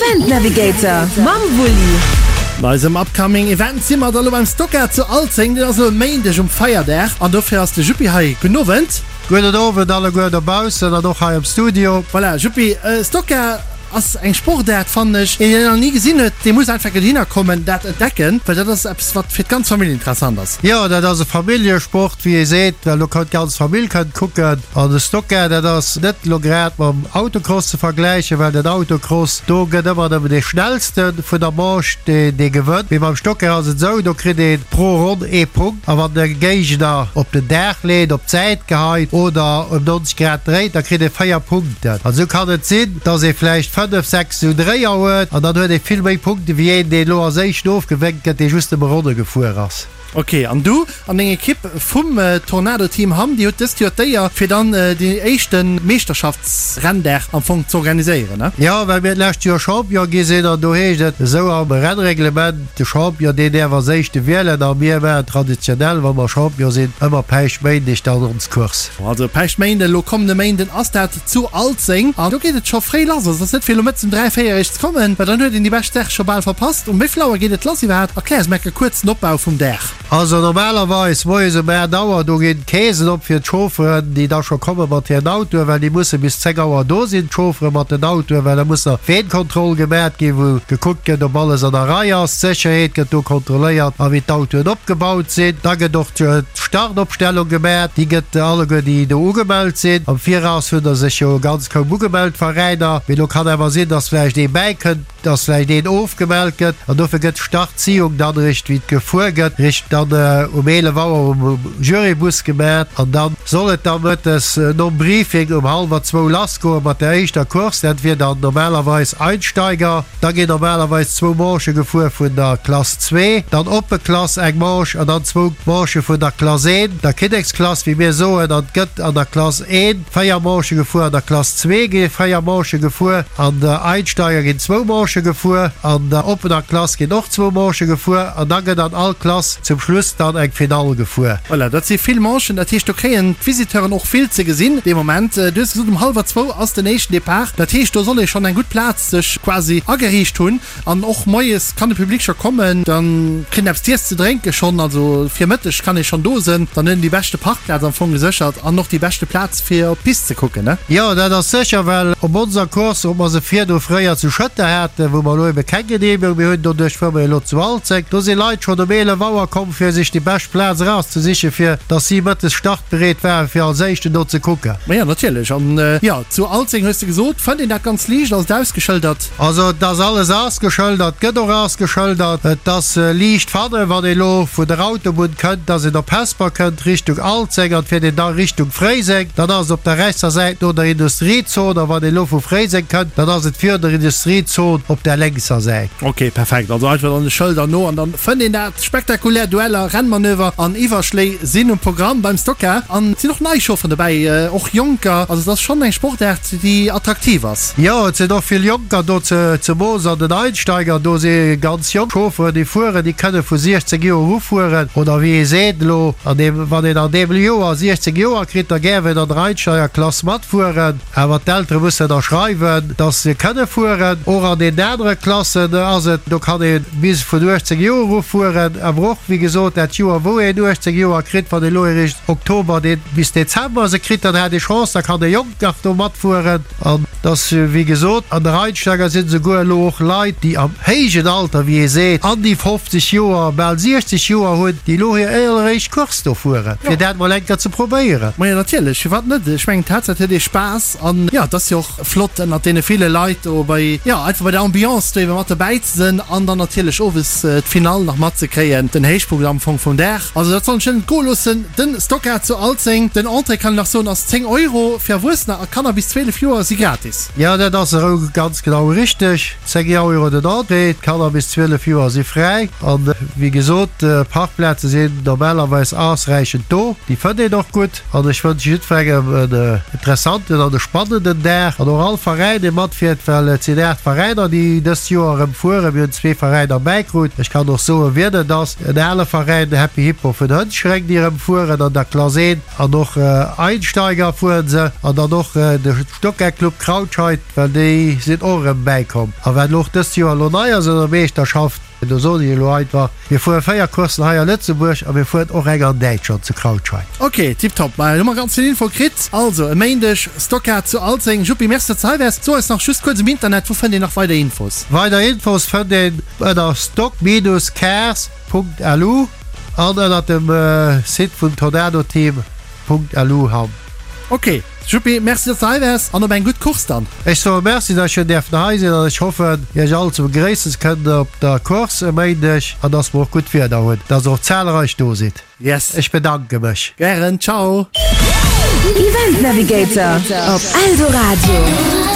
Event Navigator mam Wulli. Bei eisem upcoming Event si mer da lo beim Stocker zu Alzeng. Deen ass elo e Méindeg um Feierdag an dofir ass de Juppi hei. Gudden Owend. Gudden Owend alleguer dobaussen an och hei am Studio. Voilà, Juppi, Stocker ass eng Sportaart, fannen ech. Een, deen nach ni gesinn huet, dee muss einfach dohinner kommen, dat entdecken, well dat ass eppes, wat fir d'ganz Famill interessant ass. Jo, dat ass e Familljesport, wéi ee seet, well do kann d'ganz Famill kënnt kucken. An de Stocker, dat ass net elo grad mam Autocross ze vergläichen, well den Autocross, do gëtt ëmmer nëmmen dee Schnellste vun der Manche, deen dee gewënnt. Mee beim Stocker ass et esou, do kritt ee pro Ronn ee Punkt. A wann de Géigner op den Daach leet, op d'Säit geheit oder ëm 90 Grad dréit, da kritt ee 4 Punkten. An esou kann et sinn, dass ee vläicht 5, 6 esou Dréier huet an dann huet ee vill méi Punkte wéi een, deen elo als éischten ofgewénkt gëtt, dee just nëmme Ronne gefuer ass. Ok, an du an deng Ekipp vum Tornado Team Hamm, dir hutt dëst Joer d'Éier fir dann deen éischte Meeschterschaftsrenndag am Fong z'organiséieren, ne? Jo, well mir d'lescht Joer Champion gi sinn an do heescht et esou am Rennreglement, de Champion deen däerf als éischte wielen a mir maachen traditionell, wa mer Champion sinn, ëmmer Päischtméindeg dann ons Course. Also Päischtméinden, elo kommende Méinden ass dat zu Alzeng an do geet et scho fréi lass. Also et ass net fir elo mëttes um 3, 4 eréischt ze kommen, well dann huet een déi bescht Saach scho bal verpasst. Um wéi vill Auer geet et lass iwwerhaapt? Erklär eis mol e kuerzen Opbau vum Dag. Also normalerweis moies um 8 Auer, do ginn d'Keesen op fir d'Chaufferen, déi da scho komme mat hiren Autoen, well déi musse bis 10 Auer do sinn, d'Chauffere mat den Autoen, well da muss nach d'Weenkontroll gemat ginn, wou gekuckt gëtt, ob alles an der Rei ass. D'Sécherheet gëtt do kontrolléiert a wéi d'Autoen opgebaut sinn. Da gëtt och d'Startopstellung gemat, déi gëtt alleguer déi do ugemellt sinn. Am Viraus hunn der sech jo ganz kaum ugemellt, d'Veräiner, mee do kann awer sinn, dass vläicht ee bäikënnt. dass vläicht een ofgemellt gëtt an dofir gëtt d'Startziehung dann eréischt wéi et gefuer gëtt, eréischt dann um 11 Auer um Jurybus gemat an dann soll et da mëttes nom Briefing um hallwer zwou lass goe mat der éischter Course. Dat wier dann normalerweis Einsteiger. Da ginn normalerweis zwou Manchë gefuer vun der Klass zwee, dann oppe Klass eng Manche an dann zwou Manchë vun der Klass een, der Kinneksklass wéi mir soen, an et gëtt an der Klass een 4 Manchë gefuer, an der Klass zwee gi 4 Manchë gefuer, an der Einsteiger ginn zwou Manchë gefuer, an der oppener Klass ginn och zwou Manchë gefuer an da gëtt an all Klass zum Schluss dann eng Finall gefuer. Voilà, dat si vill Manchen, dat heescht do kréien d'Visiteuren och vill ze gesinn dee Moment. Du hues gesot um hallwer zwou ass den éischten Depart, dat heescht do soll ee schonn eng gutt Plaz sech quasi ageriicht hunn. An och moies kann de Public scho kommen, dann kritt en eppes z'iess ze drénke schonn, also fir Mëtteg kann ee schonn do sënn, dann huet en déi beschte Parkplaz am Fong geséchert an och déi beschte Plaz fir op d'Pist ze kucken, ne? Jo, dat ass sécher, well op onser Course, ob mer se virdu fréier zu Schëtter haten, wou mer elo ebe keng Geneemegung méi hunn, doduerch fuere mer elo zu Alzeng, do si Leit schonn um 11 Auer komm fir sech déi bescht Plaz erauszesichen, fir datt si mëttes startbereet waren, fir als éischten do ze kucken. Ma jo, natierlech. An jo, zu Alzeng hues de gesot, fënnt een dat ganz liicht, ass et ausgeschëldert? Also et ass alles ausgeschëldert, gëtt och ausgeschëldert. Et ass liicht fannen, wann ee lo vun der Autobunn kënnt, dass een op Hesper kënnt, Richtung Alzeng, an fiert een da Richtung Fréiseng, dann ass et op der rechtser Säit no der Industriezon, a wann ee lo vu Fréiseng kënnt, dann ass et virun der Industriezon op der lénkser Säit. Ok, perfekt. Also einfach dann de Schëlder no an dann fënnt een dat. Spektakulär Dueller, Rennmanöver an Iwwerschléi sinn um Programm beim Stock-Car an et sinn och nei Chaufferen dobäi, och Jonker. Also et ass schonn eng Sportaart, déi attraktiv ass. Jo, et sinn och vill Jonker do, zemoos an den Einsteiger. Do si ganz jonk Chaufferen, déi fueren, déi kënne vu 16 Joer u fueren. Oder wéi ee seet elo, an deem, wann een an deem Joer 16 Joer kritt, da gäerf een an der Einsteigerklass matfueren. Awer d'Eltere mussen ënnerschreiwen, dass se kënne fueren. Och an deenen anere Klassen ass et, do kann ee bis vun 18 Joer u fueren. Awer och, wéi gesot, dat Joer, wou een 18 Joer kritt, wann ee elo eréischt Oktober bis Dezember se kritt, dann hat ee Chance, da kann e Jonk nach do matfueren. An dass, wéi gesot, an der Einsteiger sinn esouguer elo och Leit, déi am héijen Alter, wéi ee seet, an déi 50 Joer, bal 60 Joer hunn, déi elo hir alleréischt Course do fueren, fir dat mol eng Kéier ze probéieren. Majo, natierlech, firwat net? Ech mengen, d'Haaptsaach, et huet ee Spaass an, jo, et ass jo och flott ënnert deene ville Leit do bei, jo, einfach bei der Ambiance do ebe mat dobäi ze sinn an dann natierlech owes d'Finall nach matzekréien, den Héichpunkt am Fong vum Dag. Also dat soll ech net entgoe loossen. Den Stockade zu Alzeng, den Entrée kann een nach soen ass 10 Euro, fir Erwuessener a Kanner bis 12 Joer si gratis. Jo, dat ass esou ganz genau richteg. 10 Euro den Entrée, d'Kanner bis 12 Joer si fräi. An wéi gesot, d'Parkplaze sinn normalerweis ausräichend do, déi fënnt een och gutt. An ech wënsche jiddwerengem en interessanten an e spannenden Dag an och all Veräin, dee matfiert, well et sinn 8 Veräiner, déi dëst Joer erëm fueren. Mir hunn zwee Veräiner bäikrut. Ech kann och soen, wien et ass. En ale. Veräin, de Happy Hippo vun Hënschreng, déi erëm fueren an der Klass 1 an och Einsteiger fueren se an dann och de Stockcar Club Krautscheid, well déi sinn och erëm bäikomm. A wat elo och dëst Joer elo nei ass an der Meeschterschaft, do soen ech elo einfach, mir fuere 4 Courssen hei a Lëtzebuerg a mir fueren och eng an Däitschland zu Krautscheid. Ok, tiptop, ma hu mer ganz vill Info kritt. Also e Méindeg Stockcar zu Alzeng. Juppi, merci datt s de hei waars. So eis nach just kuerz um Internet, wou fënnt een nach weider Infos? Weider Infos fënnt een ënner stock-cars.lu an ënnert dem Site vum Tornado-Team.lu. Hamm. Ok Juppi, merci dass de hei waars an op eng gutt Course dann. Ech soe Merci dass ech hunn däerfen hei sinn an ech hoffen iech all ze begréissen ze kënnen op der Course e Méindeg an dass mer och gutt Wieder hunn, dass der och zahlreich do sidd. Yes. Ech bedanke mech. Gären, ciao. Event Navigator op Eldoradio.